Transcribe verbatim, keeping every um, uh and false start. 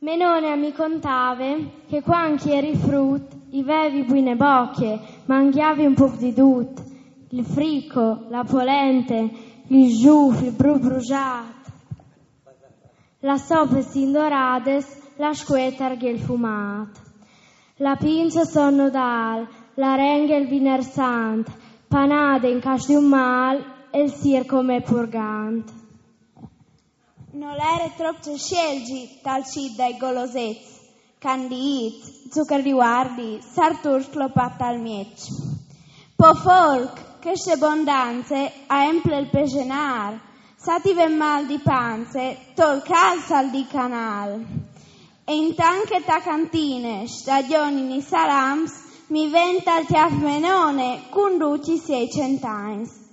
Me none mi contave che quand che eri frut i vevi buine bocche, mangiavi un poc di dut, il frico, la polente, il giuf, il brut brugiat. La sope sin dorades, la scuetar gel fumat. La pince son Nodal, la renghe il viner sant, panade in cas di un mal e il sir come purgant. No l'ere trop ce scelgi tal cit dai golosets, candiits, zuccher di guardi, sartur sclopat al mieç. Po forc, che se bondanze a emple il pesenar, sativem mal di panze, tol cal sal di canal. E intant che ta cantine stagionin i salams, mi venta al tiaf me none cun duci siei centagns.